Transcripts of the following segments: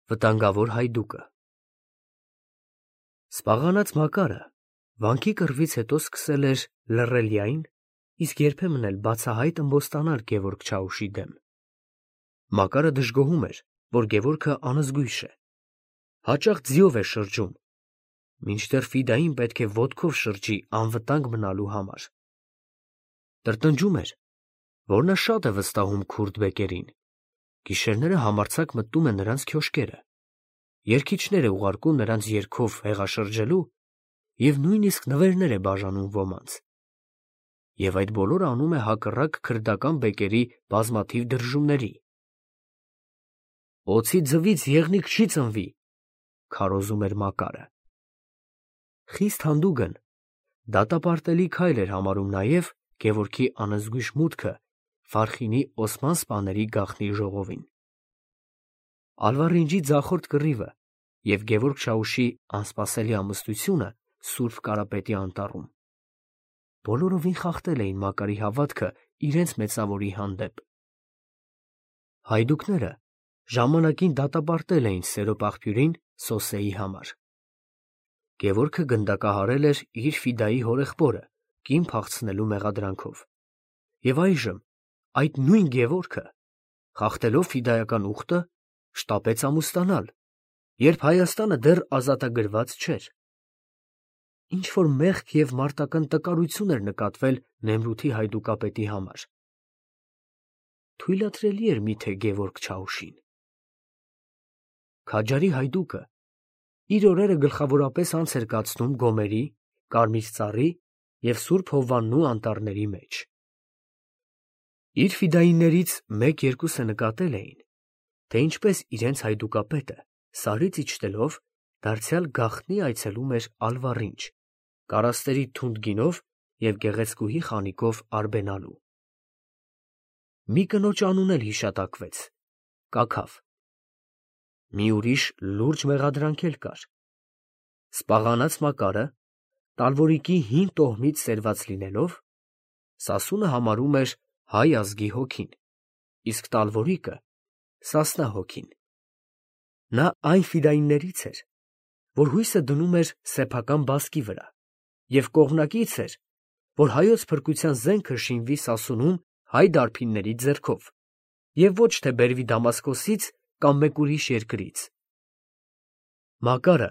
Վտանգավոր հայդուկը։ Սպաղանած Մակարը վանքի կռվից հետո սկսել էր լռել յայն, իսկ երբեմն էլ բացահայտ ըմբոստանալ Գևորգ Չաուշի դեմ։ Մակարը դժգոհում էր, որ Գևորգը անզգույշ է, հաճախ ձիով է շրջում, մինչդեռ Ֆիդային պետք է ոտքով շրջի անվտանգ մնալու համար։ Տրտնջում էր, որ նա շատ է վստահում քուրդ բեկերին, գիշերները համարձակ մտնում է նրանց քյոշկերը, երգիչներ է ուղարկում նրանց երգով հեղաշրջելու և նույնիսկ նվերներ է բաժանում ոմանց։ Եվ այդ բոլորը անում է հակառակ քրդական բեկերի բազմաթիվ դրժումների։ «Օձի ձվից եղնիկ չի ծնվի», քարոզում էր Մակարը։ Խիստ հանդուգն դատապարտելի քայլ էր համարում նաև Գևորգի անզգույշ մուտքը Վարխինի Օսման սպաների գաղտնի ժողովին։ Ալվարինջի ձախորդ կռիվը և Գևորգ Չաուշի անսպասելի ամուսնությունը Սուրբ Կարապետի անտառում բոլորովին խախտել էին Մակարի հավատքը իրենց մեծավորի հանդեպ։ Հայդուկները ժամանակին դատապարտել էին Սերոպ աղբյուրին Սոսեի համար։ Գևորգը գնդակահարել էր իր Ֆիդայի հորեղբորը կին փախցնելու մեղադրանքով։ Եվ այժմ այդ նույն Գևորգը, խախտելով ֆիդայական ուխտը, շտապեց ամուսնանալ, երբ Հայաստանը դեռ ազատագրված չէր։ Ինչ-որ մեղք և մարտական տկարություն էր նկատվել Նեմրութի հայդուկապետի համար։ Թույլատրելի էր միթե Գևորգ Չաուշին։ Քաջարի հայդուկը իր օրերը գլխավորապես անց էր կացնում Գոմերի, Կարմիր ծառի և Սուրբ Հովվաննու անտառների մեջ։ Իր ֆիդայիններից մեկ-երկուսը նկատել էին, թե ինչպես իրենց հայդուկապետը Սարից իջնելով դարձյալ գաղտնի այցելում էր Ալվառինջ, կարասների թունդ գինով և գեղեցկուհի խանիկով արբենալու։ Մի կնոջ անուն էլ հիշատակվեց՝ Կաքավ։ Մի ուրիշ լուրջ մեղադրանք էլ կար։ Սպաղանած Մակարը, Տալվորիկի հին տոհմից սերված լինելով, Սասունը համարում էր հայ ազգի հոգին, իսկ Տալվորիկը Սասնա հոգին։ Նա այն ֆիդայիններից էր, որ հույսը դնում էր սեփական բասկի վրա, և կողմնակից էր, որ հայոց փրկության զենքը շինվի Սասունում հայ դարբինների ձեռքով և ոչ թե բերվի Դամասկոսից կամ մեկ ուրիշ երկրից։ Մակարը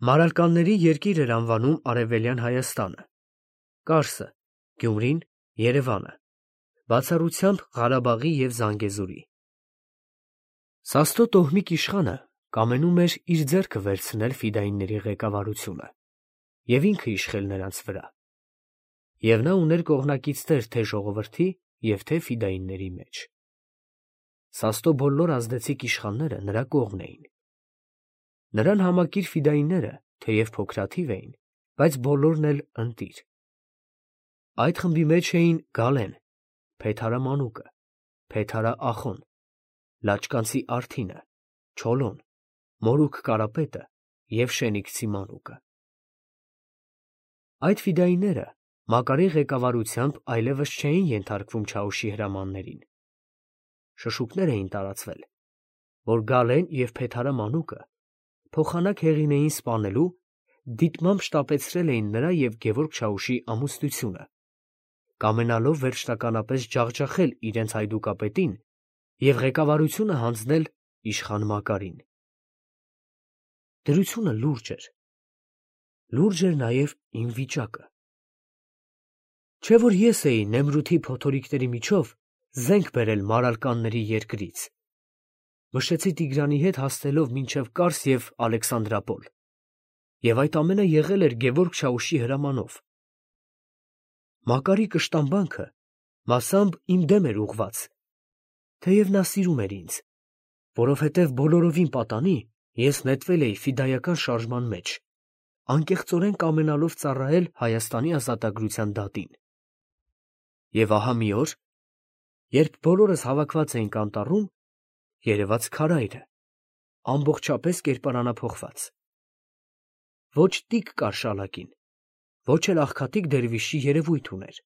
Մարալկանների երկիր էր անվանում Արևելյան Հայաստանը, Կարսը, Գյումրին, Երևանը, բացառությամբ Ղարաբաղի և Զանգեզուրի։ Սաստո տոհմիկ իշխանը կամենում էր իր ձեռքը վերցնել ֆիդայինների ղեկավարությունը և ինքը իշխել նրանց վրա, և նա ուներ կողմնակիցներ թե ժողովրդի և թե ֆիդայինների մեջ։ Սաստո բոլոր ազդեցիկ իշխանները նրա կողմն էին։ Նրան համակիր ֆիդայինները թեև փոքրաթիվ էին, բայց բոլորն էլ ընտիր։ Այդ խմբի մեջ էին Գալեն, Փեթարա մանուկը, Փեթարա ախոն, Լաճկանցի Արթինը, Չոլոն, Մորուք Կարապետը և Շենիքցի մանուկը։ Այդ ֆիդայինները Մակարի ղեկավարությամբ այլևս չէին ենթարկվում Չաուշի հրամաններին։ Շշուկներ էին տարածվել, որ Գալեն և Փեթարա մանուկը փոխանակ հեղին էին սպանելու, դիտմամբ շտապեցրել էին նրա և Գևորգ Չաուշի ամուսնությունը, կամենալով վերջնականապես ջախջախել իրենց հայդուկապետին և ղեկավարությունը հանձնել իշխան Մակարին։ Դրությունը լուրջ էր։ Լուրջ էր նաև իմ վիճակը։ Չէ՞ որ ես էի Նեմրութի փոթորիկների միջով զենք բերել Մարալկանների երկրից, մշեցի Տիգրանի հետ հասնելով մինչև Կարս և Ալեքսանդրապոլ, և այդ ամենը եղել էր Գևորգ Չաուշի հրամանով։ Մակարի կշտամբանքը մասամբ իմ դեմ էր ուղղված, թեև նա սիրում էր ինձ, որովհետև բոլորովին պատանի ես նետվել էի ֆիդայական շարժման մեջ, անկեղծորեն կամենալով ծառայել Հայաստանի ազատագրության դատին։ Եվ ահա մի օր, երբ բոլորս հավաքված էինք անտառում, երևաց քարայրը, ամբողջապես կերպարանափոխված։ Ոչ տիկ կար շալակին, ոչ էլ աղքատիկ դերվիշի երևույթ ուներ։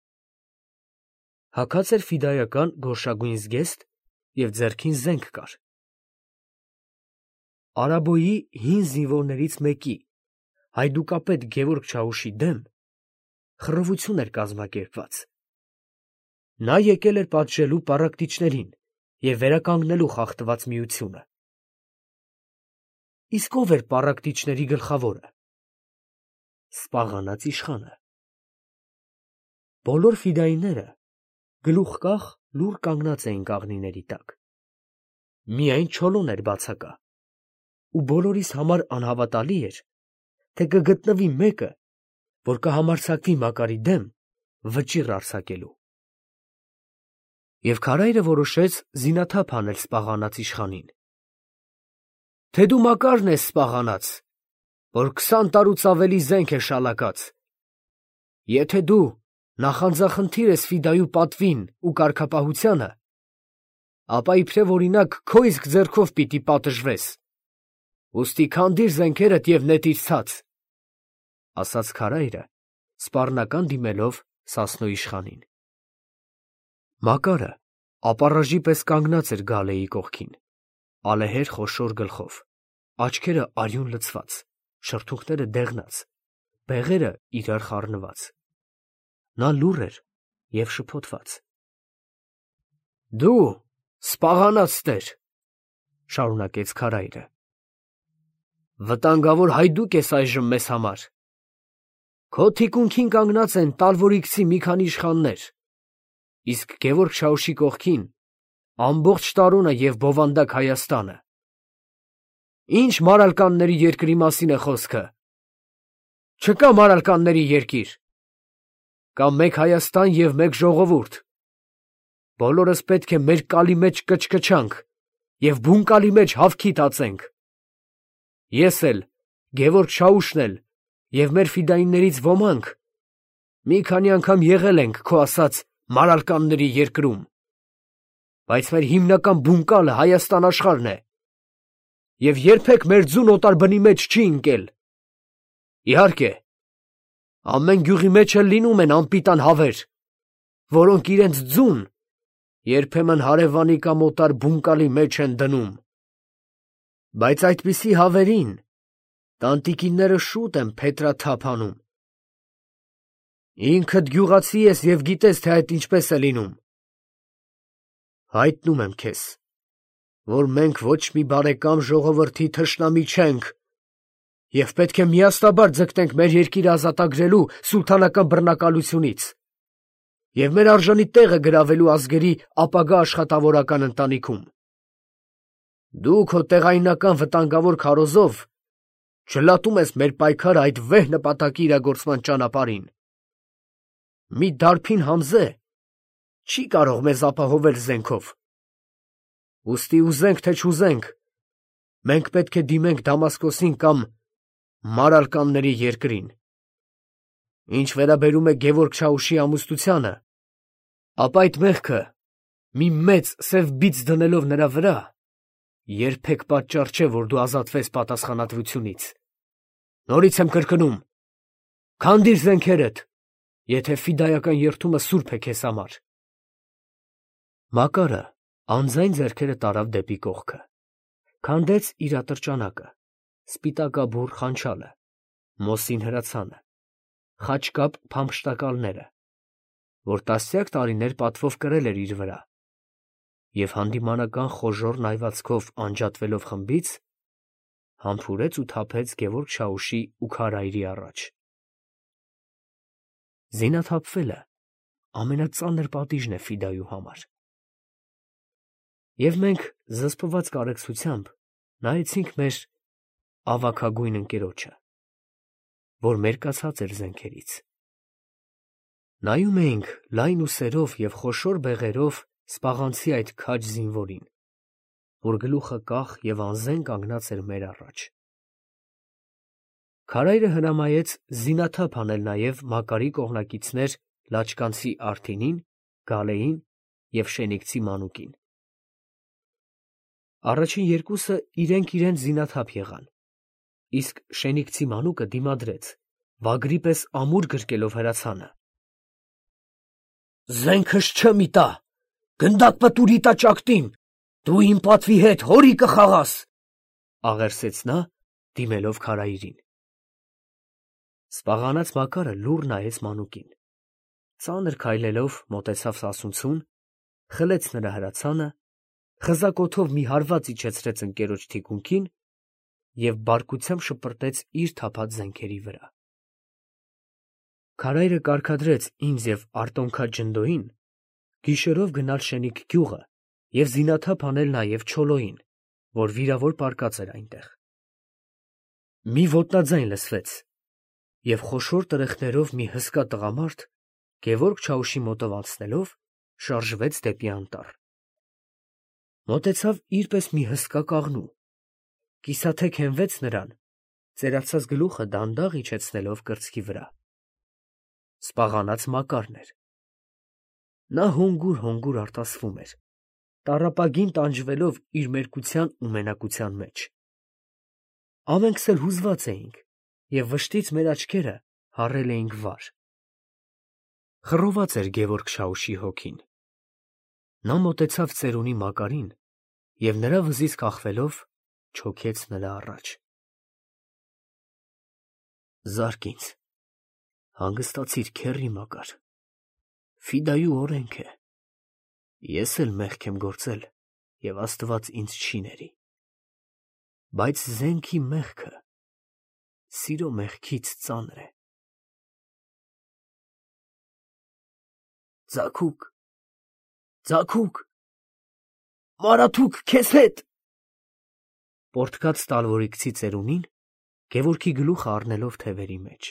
Հագած էր ֆիդայական գորշագույն զգեստ և ձեռքին զենք կար։ Արաբոյի հին զինվորներից մեկի, հայդուկապետ Գևորգ Չաուշի դեմ խռովություն էր կազմակերպված։ Նա եկել էր պատժելու պառակտիչներին և վերականգնելու խախտված միությունը։ Իսկ ով էր պառակտիչների գլխավորը։ Սպաղանած իշխանը։ Բոլոր ֆիդայինները գլուխկախ լուռ կանգնած էին կաղնիների տակ։ Միայն Չոլոն էր բացակա, ու բոլորիս համար անհավատալի էր, թե կգտնվի մեկը, որ կհամարձակվի Մակարի դեմ վճիռ արձակելու։ Եվ քարայրը որոշեց զինաթափ անել սպաղանած իշխանին։ Թե դու Մակարն ես սպաղանած, որ 20 տարուց ավելի զենք է շալակած։ Եթե դու նախանձախնդիր ես Ֆիդայու պատվին ու կարգապահությանը, ապա իբրև օրինակ քո իսկ ձեռքով պիտի պատժվես։ Ուստի քանդիր զենքերդ և նետիր ցած, ասաց քարայրը, սպառնական դիմելով Սասնո իշխանին։ Մակարը ապառաժի պես կանգնած էր Գալեի կողքին, ալեհեր խոշոր գլխով, աչքերը արյուն լցված, շրթունքները դեղնած, բեղերը իրար խառնված։ Նա լուռ էր և շփոթված։ Դու սպաղանած տեր, շարունակեց քարայրը, վտանգավոր հայդուկ ես այժմ մեզ համար։ Քո թիկունքին կանգնած են Տալվորիքցի մի քանի իշխաններ, իսկ Գևորգ Չաուշի կողքին ամբողջ Տարոնը և բովանդակ Հայաստանը։ Ինչ մարալկանների երկրի մասին է խոսքը։ Չկա մարալկանների երկիր։ Կա մեկ Հայաստան և մեկ ժողովուրդ։ Բոլորս պետք է մեր կալի մեջ կչկչանք և բունկալի մեջ հավքի տածենք։ Ես էլ, Գևորգ Չաուշն էլ և մեր ֆիդայիններից ոմանք մի քանի անգամ եղել ենք քո ասած մարալկանների երկրում, բայց մեր հիմնական բունկալը Հայաստան աշխարհն է և երբեք մեր ձուն օտար բնի մեջ չի ընկել։ Իհարկե, ամեն գյուղի մեջ էլ լինում են անպիտան հավեր, որոնք իրենց ձուն երբեմն հարևանի կամ օտար բունկալի մեջ են դնում, բայց այդպիսի հավերին տանտիկինները շուտ են փետրաթափ անում։ Ինքդ գյուղացի ես և գիտես, թե այդ ինչպես է լինում։ Հայտնում եմ քեզ, որ մենք ոչ մի բարեկամ ժողովրդի թշնամի չենք և պետք է միաստաբար ձգտենք մեր երկիրը ազատագրելու սուլթանական բռնակալությունից և մեր արժանի տեղը գրավելու ազգերի ապագա աշխատավորական ընտանիքում։ Դու քո տեղայնական վտանգավոր քարոզով չլատում ես մեր պայքարը այդ վեհ նպատակի իրագործման ճանապարհին։ Մի դարբին Համզե չի կարող մեզ ապահովել զենքով։ Ուստի ուզենք թե չուզենք, մենք պետք է դիմենք Դամասկոսին կամ մարալկանների երկրին։ Ինչ վերաբերում է Գևորգ Չաուշի ամուսնությանը, ապա այդ մեղքը մի մեծ սև բիծ դնելով նրա վրա, երբեք պատճառ չէ, որ դու ազատվես պատասխանատվությունից։ Նորից եմ կրկնում, քանդիր զենքերդ, եթե ֆիդայական երդումը սուրբ է քեզ համար։ Մակարը անձայն ձեռքերը տարավ դեպի կողքը, քանդեց իր ատրճանակը, սպիտակաբուռ խանչալը, մոսին հրացանը, խաչկապ փամփշտակալները, որ տասնյակ տարիներ պատվով կրել էր իր վրա, և հանդիմանական խոժոռ նայվածքով անջատվելով խմբից, համբուրեց ու թափեց Գևորգ Չաուշի ու քարայրի առաջ։ Զինաթափվելը ամենածանր պատիժն է Ֆիդայու համար։ Եվ մենք զսպված կարեկցությամբ նայեցինք մեր ավագագույն ընկերոջը, որ մերկացած էր զենքերից։ Նայում էինք լայն ուսերով և խոշոր բեղերով սպաղանցի այդ քաջ զինվորին, որ գլուխը կախ և անզեն կանգնած էր մեր առաջ։ Քարայրը հրամայեց զինաթափ անել նաև Մակարի կողմնակիցներ Լաչկանցի Արդինին, Գալեին և Շենիկցի Մանուկին։ Առաջին երկուսը իրենք զինաթափ եղան, իսկ Շենիկցի Մանուկը դիմադրեց, վագրի պես ամուր գրկելով հրացանը։ Զենքս չեմ իտա, գնդակ պտուր իտա ճակտին, դու իմ պատվի հետ հորի կխաղաս։ աղերսեց նա, դիմելով քարայրին։ Սպաղանած Մակարը լուռ նայեց մանուկին, ծանր քայլելով մոտեցավ սասունցուն, խլեց նրա հրացանը, խզակոթով մի հարված իջեցրեց ընկերոջ թիկունքին և բարկությամբ շպրտեց իր թափած զենքերի վրա։ Քարայրը կարգադրեց ինձ և Արտոնքա Ջնդոյին գիշերով գնալ Շենիկ գյուղը և զինաթափ անել նաև Չոլոյին, որ վիրավոր պառկած էր այնտեղ։ Մի ոտնաձայն լսվեց, և խոշոր տրեխներով մի հսկա տղամարդ, Գևորգ Չաուշի մոտով անցնելով, շարժվեց դեպի անտառ։ Մոտեցավ իր պես մի հսկա կաղնու, կիսաթեք հենվեց նրան, ծերացած գլուխը դանդաղ իջեցնելով կրծքի վրա։ Սպաղանած Մակարն էր։ Նա հոնգուր արտասվում էր, տառապագին տանջվելով իր մերկության ու մենակության մեջ։ Ամենքս էլ հուզված էինք և վշտից մեր աչքերը հառել էինք վար։ Խռոված էր Գևորգ Չաուշի հոգին։ Նա մոտեցավ ծերունի Մակարին և նրա վզից կախվելով չոքեց նրա առաջ։ Զարկ ինձ, հանգստացիր քեռի Մակար, ֆիդայու օրենք է, ես էլ մեղք եմ գործել և Աստված ինձ չի ների, բայց զենքի մեղքը սիրո մեղքից ծանր է։ Ձագուկ, ձագուկ, Մարաթուկ, քեզ հետ… Պոռթկաց տալվորիկցի ծերունին, Գևորգի գլուխը առնելով թևերի մեջ։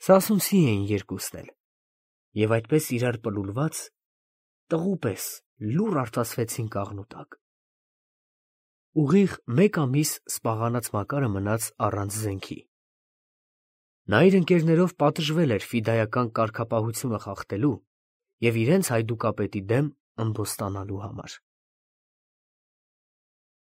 Սասունցի էին երկուսն էլ, և այդպես իրար պլուլված, տղու պես լուռ արտասվեցին կաղնու տակ։ Ուղիղ մեկ ամիս սպաղանած Մակարը մնաց առանց զենքի։ Նա իր ընկերներով պատժվել էր ֆիդայական կարգապահությունը խախտելու և իրենց հայդուկապետի դեմ ըմբոստանալու համար։